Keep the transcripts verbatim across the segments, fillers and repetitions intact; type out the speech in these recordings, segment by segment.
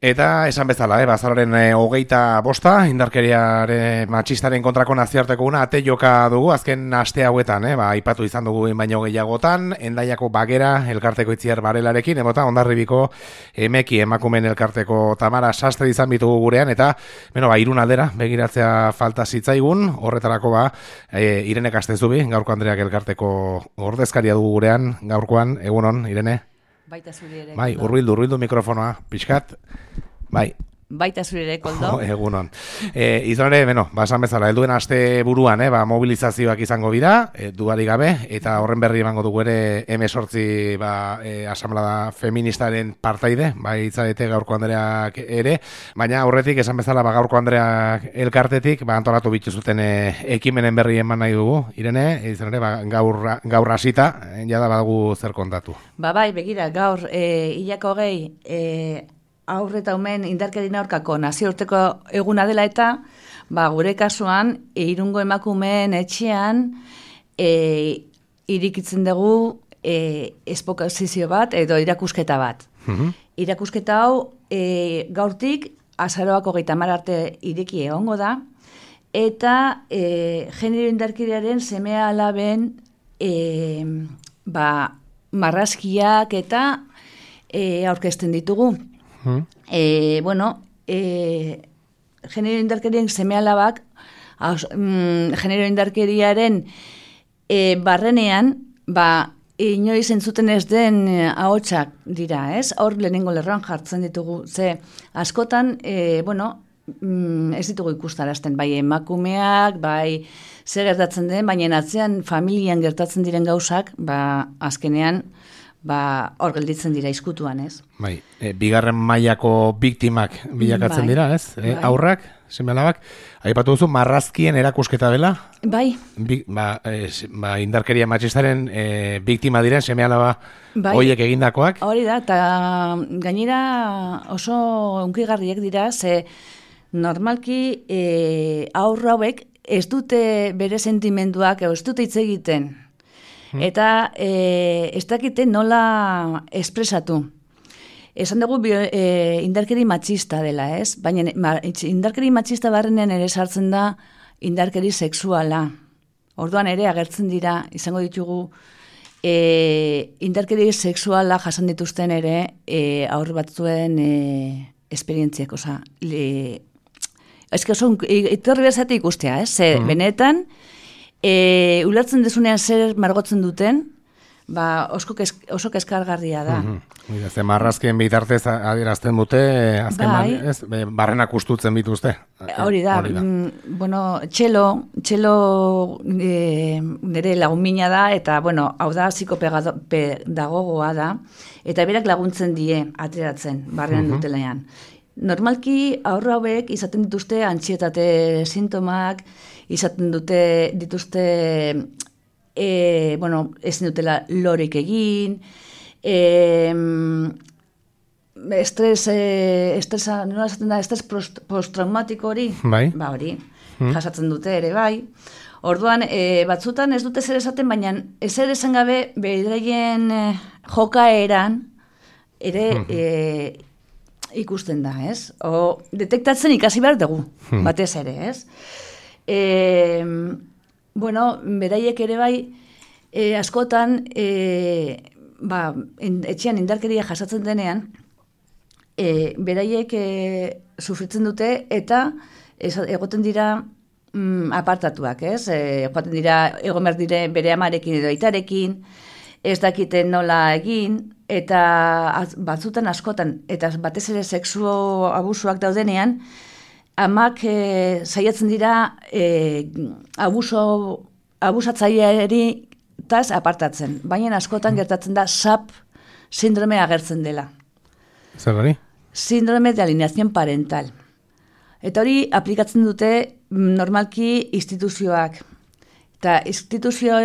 Eta esan bezala, eh, bazararen e, hogeita bosta, indarkeriaren matxistaren kontrako nazioarteko una ate joka dugu, azken aste hauetan, eh, ba, ipatu izan dugu baino gehiagotan, Hendaiako Bagera elkarteko Itziar Barelarekin, emota Hondarribiko Emeki emakumen elkarteko Tamara Sastre izan bitugu gurean, eta, beno, ba, Irun aldera begiratzea falta zitzaigun, horretarako ba, e, Irene Kastezubi, gaurko Andreak elkarteko ordezkaria dugu gurean, gaurkoan, egunon, Irene? Baita zuri ere. Bai, urbildu, urbildu mikrofonoa, pixkat. Bai. Baita zuri ere, koldo. Oh, egunon. E, izan ere, beno, basan bezala, helduen aste buruan, eh, ba, mobilizazioak izango dira, e, duari gabe, eta horren berri emango dugu ere hemezortzi ba, e, asamblada feministaren partaide, bai itzarete gaurko Andreak ere, baina horretik, esan bezala, ba, gaurko Andreak elkartetik, ba, antolatu bituzuten e, ekimenen berri eman nahi dugu, Irene, e, izan ere, ba, gaur, gaur hasita, e, jada badugu zer kontatu. Ba, bai, begira, gaur, e, hilako gehi, e, aurre eta umen indarkerien aurkako nazioarteko eguna dela eta ba, gure kasuan e, Irungo emakumeen etxean e, irikitzen dugu e, espokazizio bat edo irakusketa bat. Mm-hmm. Irakusketa hau e, gaurtik azaroak hogeita hamar arte ireki egongo da eta e, genero indarkeriaren seme alaben e, ba, marrazkiak eta e, aurkezten ditugu. E, bueno, e, genero indarkerien seme alabak, mm, genero indarkeriaren e, barrenean, ba, inoiz entzuten ez den e, ahotsak dira, ez? Hor lehenengo lerroan jartzen ditugu, ze askotan, e, bueno, mm, ez ditugu ikustarazten, bai emakumeak, bai zer gertatzen den, baina atzean familian gertatzen diren gauzak, ba, azkenean, ba, hor gelditzen dira izkutuan, ez? Bai, e, bigarren mailako biktimak bilakatzen bai, dira, ez? E, bai. Aurrak, seme-alabak, aipatu duzu, marrazkien erakusketa dela? Bai. Bi, ba, e, ba, indarkeria matxistaren e, biktima diren seme-alaba bai. Hoiek egindakoak? Hori da, eta gainera oso unkigarriek dira, ze normalki e, aurra hauek ez dute bere sentimenduak, ez dute hitz egiten. Eta e, ez dakite nola espresatu. Esan dugu bio, e, indarkeri matxista dela, ez? Baina ma, indarkeri matxista barrenean ere sartzen da indarkeri sexuala. Orduan ere agertzen dira, izango ditugu, e, indarkeri sexuala jasan dituzten ere e, aur batzuen e, esperientziak, oza. Ez que oso, itorri bezate ikustea, ez? Ze, mm. benetan, E, ulertzen dezunean zer margotzen duten, ba, oso, kesk, oso keskargarria da. Mm-hmm. Ze marrazkien bitartez adierazten dute, azken bai. Ez, barrenak ustutzen bituzte. Hori da, Hori da. Mm, bueno, txelo, txelo e, nire lagunmina da, eta, bueno, hau da, psikopedagogoa da, eta berak laguntzen die ateratzen, barrenan mm-hmm. dutelean. Normalki aurra hauek izaten dituzte antsietate sintomak, izaten dute dituzte e, bueno, ezin dutela lorik egin, e, estres, e, estresa, nola esaten da, estres postraumatiko hori, bai. Ba hori, hmm. jasatzen dute ere bai. Orduan, e, batzutan ez dute zer esaten, baina ezer esan gabe beraien e, jokaeran ere hmm. e, ikusten da, ez? O detektatzen ikasi behar dugu, hmm. batez ere, ez? E, bueno, beraiek ere bai, e, askotan, e, ba, in, etxean indarkeria jasatzen denean, e, beraiek e, sufritzen dute eta ez, egoten dira mm, apartatuak, ez? E, joaten dira, egon behar dire bere amarekin edo aitarekin, ez dakiten nola egin, eta az, batzutan askotan, eta batez ere sexu abusuak daudenean, amak e, saiatzen dira e, abuso, abusatzaileari taz apartatzen. Baina askotan gertatzen da S A P sindrome agertzen dela. Zer hori? Síndrome de alineación parental. Eta hori aplikatzen dute normalki instituzioak. Eta instituzio,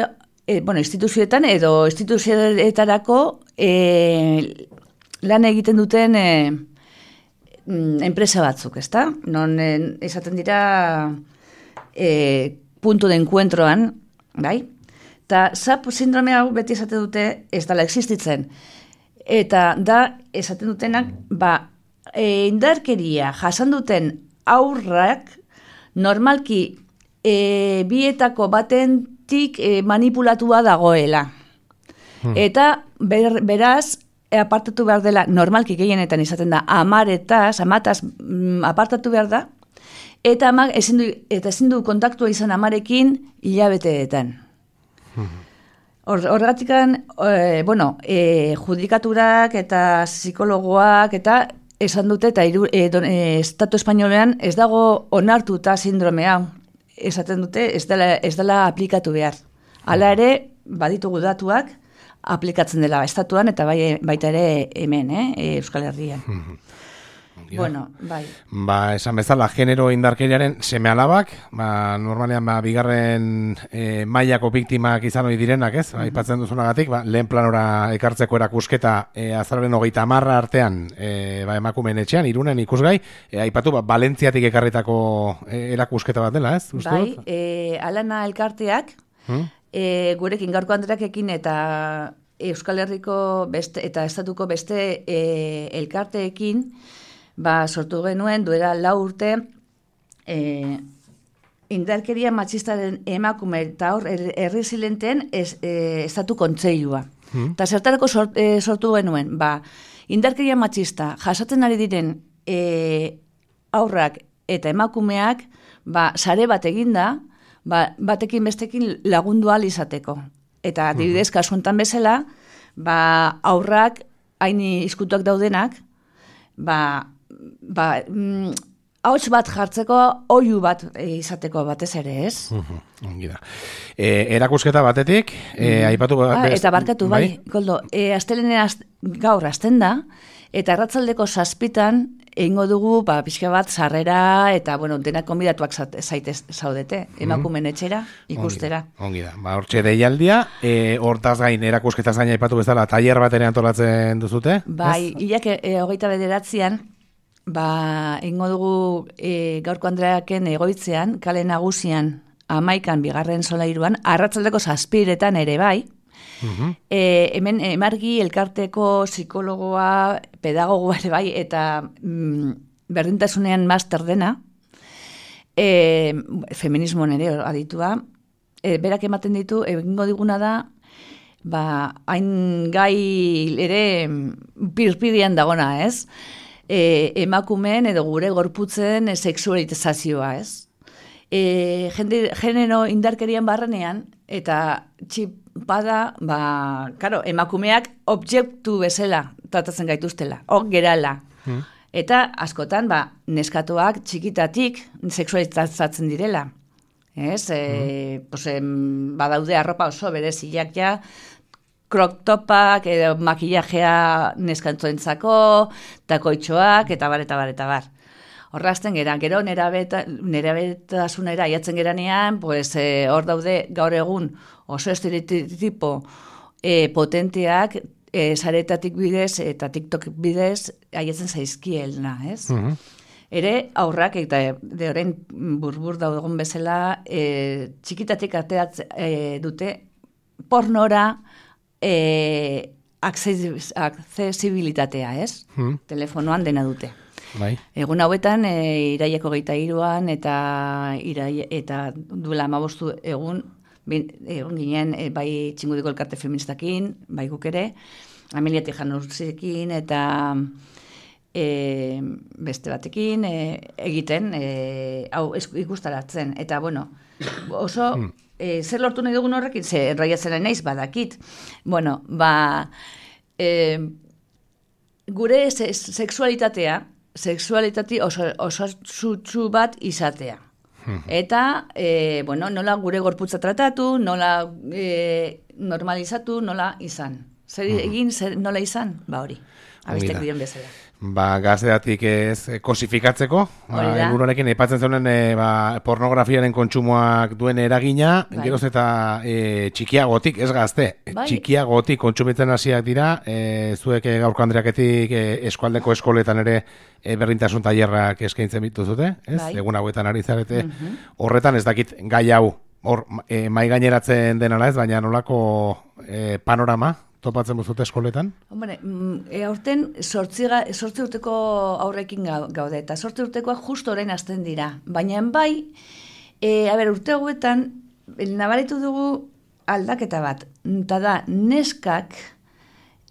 e, bueno, instituzioetan edo instituzioetarako e, lan egiten duten e, enpresa batzuk, ezta? Non e, esaten dira e, punto de encuentroan, bai? Eta S A P sindrome hau beti esaten dute ez dela existitzen. Eta da esaten dutenak, ba, e, indarkeria jasan duten aurrak normalki e, bietako batentik e, manipulatua dagoela. Hmm. Eta ber, beraz, e, apartatu behar dela, normalki gehienetan izaten da, amaretaz, amataz mm, apartatu behar da, eta amak ezin du, eta ezin du kontaktua izan amarekin hilabeteetan. Horregatikan, e, bueno, e, judikaturak eta psikologoak eta esan dute, eta iru, e, don, e, estatu espainolean ez dago onartuta sindrome hau. Esaten dute, ez dela, ez dela aplikatu behar. Hala ere, baditugu datuak, aplikatzen dela estatuan, eta bai, baita ere hemen, eh, Euskal Herrian. Bueno, bai. Ba, esan bezala, genero indarkeriaren seme-alabak, ba, normalean, ba, bigarren e, mailako biktimak izan ohi direnak, ez? Ba, aipatzen duzunagatik, ba, lehen planora ekartzeko erakusketa e, azararen hogeita hamarra artean, e, ba, emakumeen etxean, Irunen ikusgai, e, aipatu, ba, Valentziatik ekarritako e, erakusketa bat dela, ez? Uste bai, dut? e, Alana elkarteak, hmm? e, gurekin gaurko Andreakekin eta Euskal Herriko beste, eta estatuko beste e, elkarteekin, ba, sortu genuen, duela lau urte, e, indarkeria matxistaren emakume eta hor herri zilenten ez, e, estatu kontseilua. Hmm. Eta zertarako sort, e, sortu genuen, ba, indarkeria matxista jasatzen ari diren e, aurrak eta emakumeak, ba, sare bat eginda, ba, batekin bestekin lagundu ahal izateko. Eta adibidez, kasu honetan bezala, ba, aurrak hain izkutuak daudenak, ba, ba, mm, hauts bat jartzeko, oihu bat izateko batez ere, ez? Ongi da. E, erakusketa batetik, e, aipatu... Ah, eta barkatu, bai, bai Koldo, e, astelenen az, gaur azten da, eta arratzaldeko zazpitan, egingo dugu, ba, pixka bat, sarrera, eta, bueno, denak konbidatuak zaitez zaudete, emakumen etxera, ikustera. Ongi da, ba, hortxe deialdia, e, hortaz gain, erakusketaz gain aipatu bezala, tailer bat ere antolatzen duzute? Bai, hilak e, hogeita bederatzean, ba, egingo dugu e, gaurko Andreaken egoitzean, kale nagusian, amaikan, bigarren solairuan, arratzaldeko zazpiretan ere bai, uh-huh. e, hemen emargi elkarteko psikologoa, pedagogoa ere bai, eta mm, berdintasunean master dena, e, feminismoan ere aditua, e, berak ematen ditu, egingo diguna da, ba, hain gai ere pirpirian dagona, ez? E, emakumeen edo gure gorputzen e, sexualizazioa, ez? E, jende, genero indarkerian barrenean, eta txipada, ba, karo, emakumeak objektu bezala tratatzen gaituztela, hor gerala. Hmm. Eta askotan, ba, neskatuak txikitatik sexualizatzen direla. Ez? E, hmm. pues, em, badaude arropa oso bereziak ja, crop topak, edo makillajea neskantzoentzako, takoitxoak, eta bar, eta bar, eta bar. Horrazten gera, gero nerabetasunera aiatzen geranean, pues, e, hor daude gaur egun oso estereotipo e, potenteak, e, saretatik bidez eta TikTok bidez aiatzen zaizkielna, ez? Uh-huh. Ere, aurrak, eta de orain burbur daudegun bezala, e, txikitatik ateatz e, dute pornora, E, aksesibilitatea, ez? Hmm. Telefonoan dena dute. Bai. Egun hauetan, e, iraieko geita iruan, eta, irai, eta duela amabostu egun, bin, egun ginen, e, bai txingudiko elkarte feministakin, bai guk ere, Amelia Tijanurzekin, eta e, beste batekin e, egiten, e, hau ikustaratzen. Eta, bueno, oso... Hmm. E, zer lortu nahi dugun horrekin? Ze, enroiatzen naiz, badakit. Bueno, ba, e, gure se, sexualitatea, sexualitati oso, oso zutsu bat izatea. Eta, e, bueno, nola gure gorputza tratatu, nola e, normalizatu, nola izan. Zer egin, zer, nola izan? Ba hori, abistek diren bezala. Ba, gazteatik ez kosifikatzeko, ba, egunorekin aipatzen zeunen e, ba, pornografiaren kontsumoak duen eragina, bai. Geroz eta e, txikiagotik, ez gazte, bai. Txikiagotik kontsumitzen hasiak dira, e, zuek e, gaurko Andreaketik e, eskualdeko eskoletan ere e, berdintasun tailerrak eskaintzen bituzute, ez? Bai. Egun hauetan ari zarete, uh-huh. Horretan ez dakit gai hau, hor, e, mai gaineratzen denala ez, baina nolako e, panorama topatzen buzute eskoletan? Hombre, e, aurten sortzi, sortzi urteko aurrekin gaude, eta sortzi urtekoak justo orain hasten dira. Baina bai, e, a ber, urte hauetan, nabaritu dugu aldaketa bat. Eta da, neskak,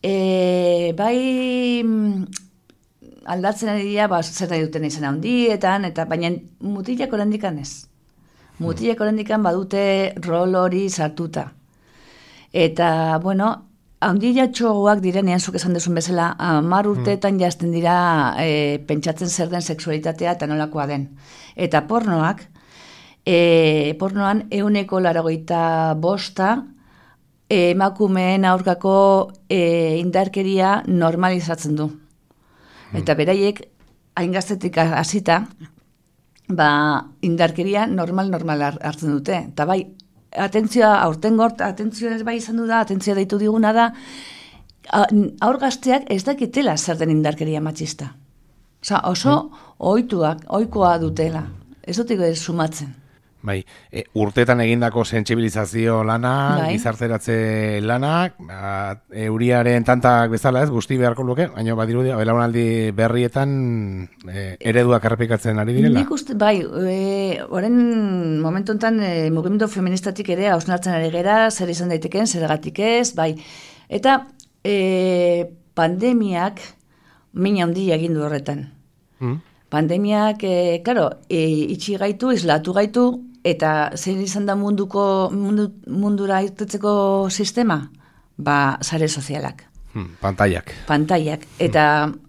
e, bai aldatzen ari dira, ba, zer nahi duten izan handietan, eta baina mutilak orandikan ez. Mutilak orandikan badute rol hori sartuta. Eta, bueno, handia txogoak direnean, zuk esan duzun bezala, hamar urteetan mm. jazten dira e, pentsatzen zer den sexualitatea eta nolakoa den. Eta pornoak, e, pornoan euneko laragoita bosta e, emakumeen aurkako e, indarkeria normalizatzen du. Mm. Eta beraiek, hain gaztetik hasita, ba, indarkeria normal-normal hartzen dute. Eta bai, atentzioa, aurten gort, atentzioa ez bai izan du da, atentzioa deitu diguna da, aur gazteak ez dakitela zer den indarkeria matxista. Osa, oso mm. ohituak, ohikoa dutela. Ez dutiko ez sumatzen. Bai, e, urtetan egindako sentsibilizazio lana, bai. Gizarteratze lanak, ba, euriaren tantak bezala ez, guzti beharko luke, baina badirudi, belaunaldi berrietan e, ereduak errepikatzen ari direla? Nik uste, bai, e, oren momentu enten e, mugimendu feministatik ere hausnartzen ari gera, zer izan daiteken, zergatik ez, bai. Eta e, pandemiak min handia egin du horretan. Hmm? Pandemiak, e, claro, e, itxi gaitu, islatu gaitu, eta zein izan da munduko, mundu, mundura irtetzeko sistema? Ba, sare sozialak. Hmm, pantaiak. Pantaiak. Eta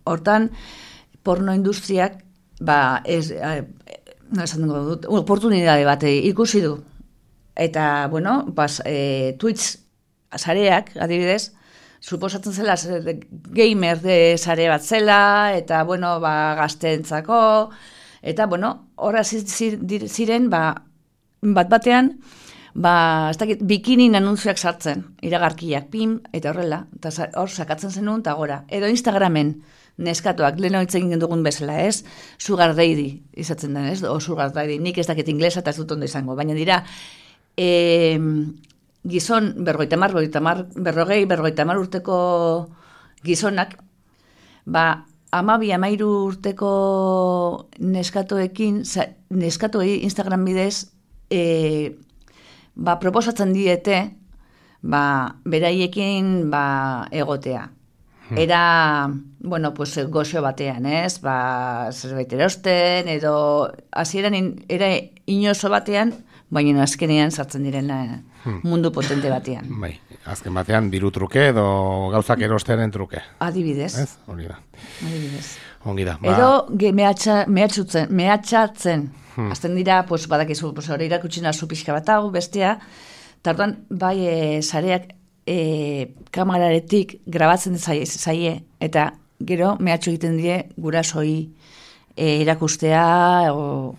hortan, porno industriak, ba, ez, eh, no esan dugu dut, oportunidade bat ikusi du. Eta, bueno, bas, e, Twitch sareak, adibidez, suposatzen zela gamer de sare bat zela, eta, bueno, ba, gazteentzako, eta, bueno, horra ziren, ba, bat batean, ba, ez dakit, bikinin anunzioak sartzen, iragarkiak, pim, eta horrela, eta hor sakatzen zenun, eta gora. Edo Instagramen, neskatoak, lehen hitz egin dugun bezala, ez? Sugar daddy, izatzen den, ez? O sugar daddy, nik ez dakit inglesa eta ez dut ondo izango, baina dira, e, gizon, berrogeita mar, berrogei, berrogeita mar urteko gizonak, ba, amabi, amairu urteko neskatoekin, neskatoei Instagram bidez, E, ba, proposatzen diete ba, beraiekin ba, egotea. Era, bueno, pues, goxo batean, ez? Ba, zerbait erosten, edo hasieran era inoso batean, baina azkenean sartzen diren mundu potente batean. Bai, azken batean diru truke edo gauzak erostearen truke. Adibidez. Ez? Hori da. Adibidez. Ongi da. Ba... Edo ge, mehatxa, mehatxutzen, mehatxatzen. Hmm. Azten dira, pues, badakizu, pues, hori irakutxina zu pixka bat hau, bestea. Tartuan, bai, e, sareak e, kamararetik grabatzen zaie, eta gero mehatxu egiten die gurasoi e, erakustea, o...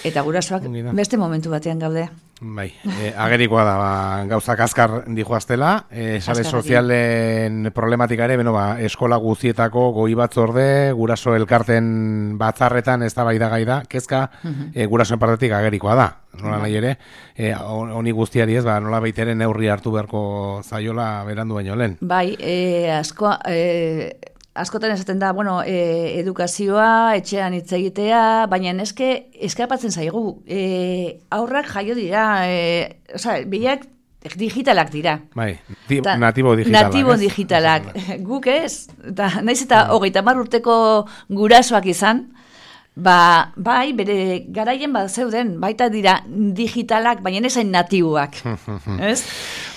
eta gurasoak beste momentu batean gaude. Bai, e, agerikoa da, ba, gauzak azkar dijoaztela, e, sare sozialen problematika ere, beno, ba, eskola guzietako goi batzorde, guraso elkarten batzarretan ez da bai da gai da, kezka uh-huh. e, gurasoen partetik agerikoa da, nola nahi ere, e, honi guztiari ez, ba, nola baiteren neurri hartu beharko zaiola berandu baino lehen. Bai, e, asko... E... Askotan esaten da, bueno, e, edukazioa, etxean hitz egitea, baina eske eskapatzen zaigu. E, aurrak jaio dira, e, oza, biak digitalak dira. Bai, di, ta, natibo digitalak. Natibo ez? digitalak. Guk ez, eta naiz eta hogeita hamar urteko gurasoak izan, ba, bai, bere garaien bat zeuden, baita dira digitalak, baina esain natiboak. Ez?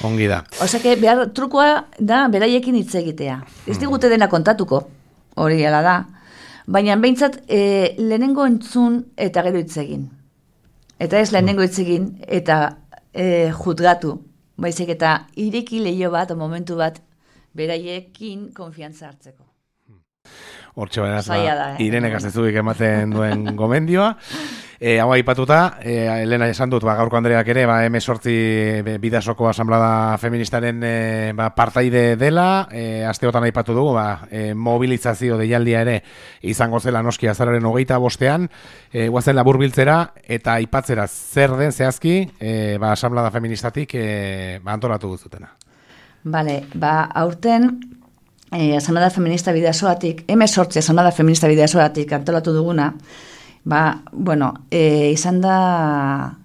Ongi da. Osea, behar trukoa da beraiekin hitz egitea. Ez digute dena kontatuko, hori ala da. Baina behintzat e, lehenengo entzun eta gero hitz egin. Eta ez lehenengo hitz egin eta e, jutgatu. Baizik eta ireki leio bat, o momentu bat, beraiekin konfiantza hartzeko. Hortxe baina, ba, eh? Irenek azezuik ematen duen gomendioa. E, hau aipatuta, e, Elena esan dut, ba, gaurko Andreak ere, ba, emezortzi bidasoko asamblada feministaren e, ba, partaide dela, e, asteotan aipatu dugu, ba, e, mobilizazio deialdia ere izango zela noski azararen hogeita bostean, e, guazen labur biltzera, eta aipatzera zer den zehazki, e, ba, asamblada feministatik e, ba, antolatu duzutena. Bale, ba, aurten, eh, Asamblea Feminista Bidasoatik, hemezortzi Asamblea Feminista Bidasoatik antolatu duguna, ba, bueno, eh, izan da,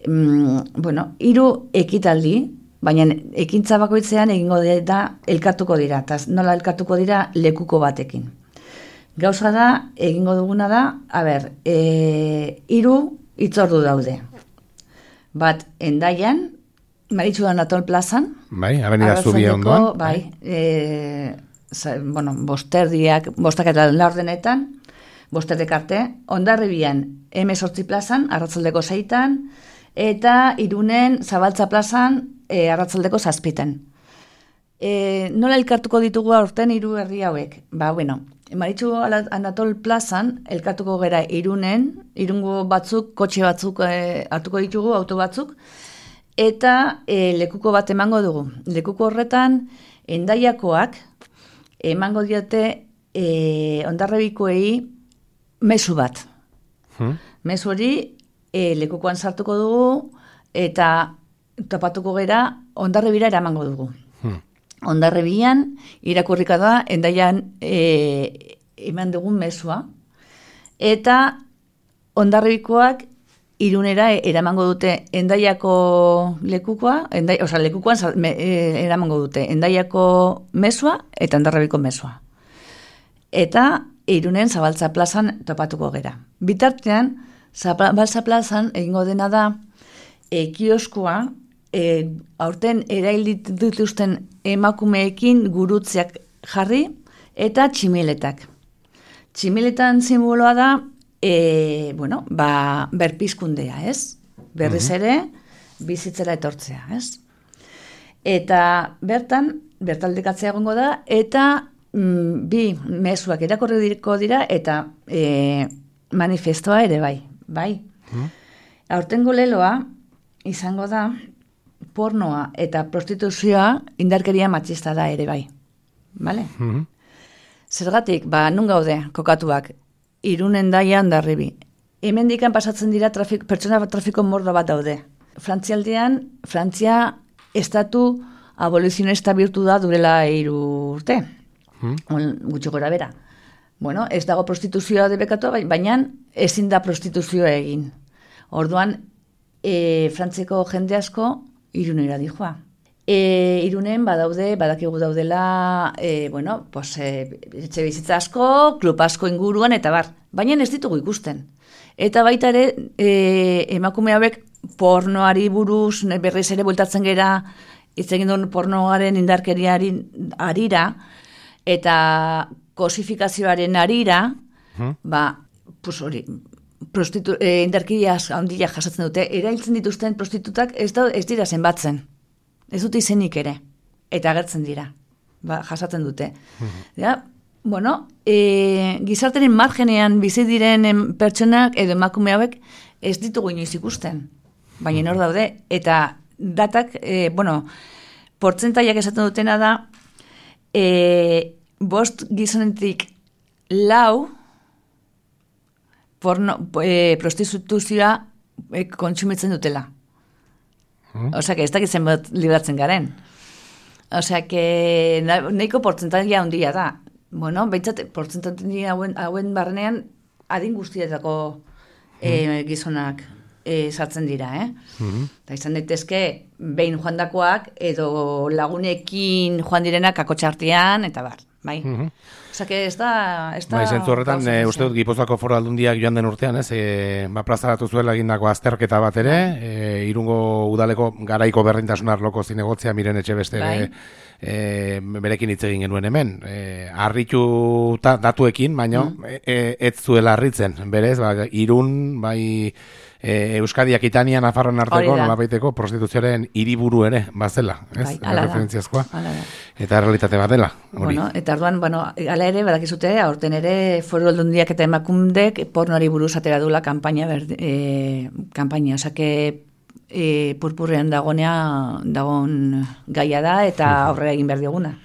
mm, bueno, hiru ekitaldi, baina ekintza bakoitzean egingo dira, elkartuko dira, eta nola elkartuko dira lekuko batekin. Gauza da, egingo duguna da, a ber, e, hiru hitzordu daude. Bat, Endaian, Maritxudan Atol plazan. Bai, avenida Zubia ondoan. Bai, e, za, bueno, bosterdiak, bostak eta laurdenetan, bosterdek arte, Hondarribian, hemezortzi plazan, arratzaldeko zeitan, eta Irunen Zabaltza plazan, e, arratzaldeko zazpitan. E, nola elkartuko ditugu aurten hiru herri hauek? Ba, bueno, Maritxu Anatol plazan, elkartuko gera Irunen, Irungo batzuk, kotxe batzuk e, hartuko ditugu, auto batzuk, eta e, lekuko bat emango dugu. Lekuko horretan, Endaiakoak emango diote e, Hondarribikoei mezu bat. Hmm. Mezu hori e, lekukoan sartuko dugu, eta topatuko gera Hondarribira eramango dugu. Hmm. Hondarribian irakurrika da Endaian e, eman dugun mezua, eta Hondarribikoak Irunera eramango dute Endaiako lekukoa, endai, oza, lekukoan me, e, eramango dute Endaiako mezua eta Hondarribiko mezua. Eta Irunen Zabaltza plazan topatuko gera. Bitartean, Zabaltza plazan egingo dena da e, kioskoa, e, aurten erail dituzten emakumeekin gurutzeak jarri eta tximiletak. Tximiletan simboloa da E, bueno, ba, berpizkundea, ez? Berriz ere, bizitzera etortzea, ez? Eta bertan, bertaldekatzea egongo da, eta mm, bi mezuak irakorriko dira, eta e, manifestoa ere bai, bai. Mm. Aurtengo leloa, izango da, pornoa eta prostituzioa indarkeria matxista da ere bai, bale? Mm-hmm. Zergatik, ba, nun gaude, kokatuak, Irunen Endaia Hondarribi. Hemendikan pasatzen dira trafik, pertsona trafiko mordo bat daude. Frantzialdean, Frantzia estatu abolizionista bihurtu da durela hiru urte. Hmm. Gutxi gora bera. Bueno, ez dago prostituzioa debekatu, baina ezin da prostituzioa egin. Orduan, e, Frantziako jende asko Irunera dijoa. E, Irunen badaude, badakigu daudela, e, bueno, pues, e, etxe bizitza asko, klub asko inguruan, eta bar, baina ez ditugu ikusten. Eta baita ere, e, emakume hauek pornoari buruz, berriz ere bueltatzen gera, hitz egin duen pornoaren indarkeriari arira, eta kosifikazioaren arira, hmm. ba, pues hori, prostitu, e, indarkeria handia jasatzen dute, erailtzen dituzten prostitutak ez, da, ez dira zenbatzen. Ez dute izenik ere, eta agertzen dira, ba, jasatzen dute. Mm-hmm. Ja, bueno, e, gizarteren margenean bizi diren pertsonak edo emakume hauek ez ditugu inoiz ikusten, baina hor daude, eta datak, e, bueno, portzentaiak esaten dutena da, e, bost gizonetik lau porno, e, prostituzioa e, kontsumitzen dutela. Osea, que ez dakit zenbat libratzen garen. Osea, que nahiko portzentaia handia da. Bueno, behintzat, portzentaia hauen, hauen barnean adin guztietako e, gizonak e, sartzen dira, eh? Mm-hmm. Eta izan daitezke, behin joandakoak edo lagunekin joan direnak akotxartean, eta bar, bai? Mm-hmm. Osea, que ez da... Ez da bai, zentzu horretan, e, uste dut, Gipuzkoako Foru Aldundiak joan den urtean, ez, e, ba, plazaratu zuela egindako azterketa bat ere, e, Irungo udaleko garaiko berdintasun arloko zinegotzea miren etxe beste bai. e, berekin hitz egin genuen hemen. E, harritu ta, datuekin, baina mm. e, ez zuela harritzen, berez, ba, Irun, bai... E, Euskadi Akitania Nafarroan arteko nolabaiteko prostituzioaren hiriburu ere bazela, ez? Bai, referentziazkoa. Eta realitate bat dela, hori. Bueno, eta orduan, bueno, hala ere badakizute, aurten ere Foru Aldundiak eta emakundek pornoari buruz atera dula kanpaina berde, eh kanpaina, osea que eh purpurrean dagonea dagon gaia da eta aurrera egin behar dioguna.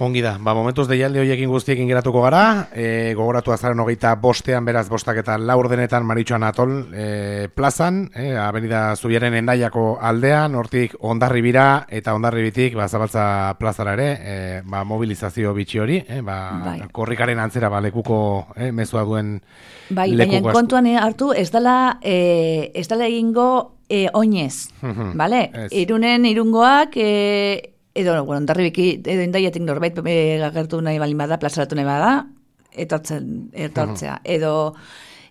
Ongi da, ba, momentuz deialdi horiekin guztiekin geratuko gara, e, gogoratu azaren hogeita bostean, beraz bostak eta laur denetan Maritxoan Atol e, plazan, e, avenida Zubiaren Endaiako aldean, hortik Hondarribira eta Hondarribitik ba, Zabaltza plazara ere, e, ba, mobilizazio bitxi hori, e, ba, bai. Korrikaren antzera ba, lekuko e, mezua duen bai, lekuko. Baina kontuan hartu, ez dela, e, ez dela egingo e, oinez, bale? Irunen irungoak... E, edo, bueno, Hondarribiki, edo Endaiatik norbait e, agertu nahi balin bada, plazaratu nahi bada, etortzen, etortzea. Uh-huh. Edo,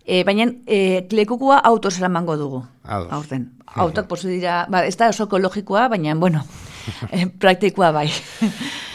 e, baina e, lekukua autos eramango dugu, aurten. Uh-huh. Autok posu dira, ba, ez da oso ekologikoa, baina, bueno, e, praktikoa bai.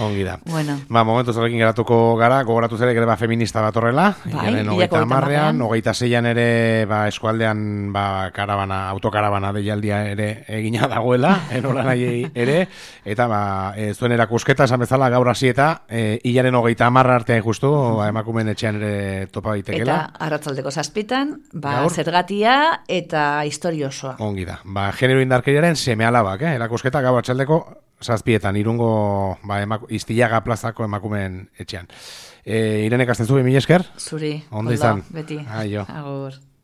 Ongi da. Bueno. Ba, momentu horrekin geratuko gara, gogoratu zere ere ba, feminista bat horrela, bai, hogeita hamarrean, hogeita zeian ere ba, eskualdean ba, karabana, autokarabana deialdia ere egina dagoela, enola nahi ere, eta ba, e, zuen erakusketa, esan bezala gaur hasi eta e, hilaren hogeita hamarra artean justu, ba, emakumeen etxean ere topa daitekela. Eta arratzaldeko zazpitan, ba, zergatia eta historia osoa. Ongi da. Ba, genero indarkeriaren seme alabak, eh? Erakusketa gaur atxaldeko zazpietan, irungo ba, emaku, Iztillaga plazako emakumeen etxean. E, Irene Kastenzu, mila esker? Zuri, ondo izan. Beti. Aio. Agur.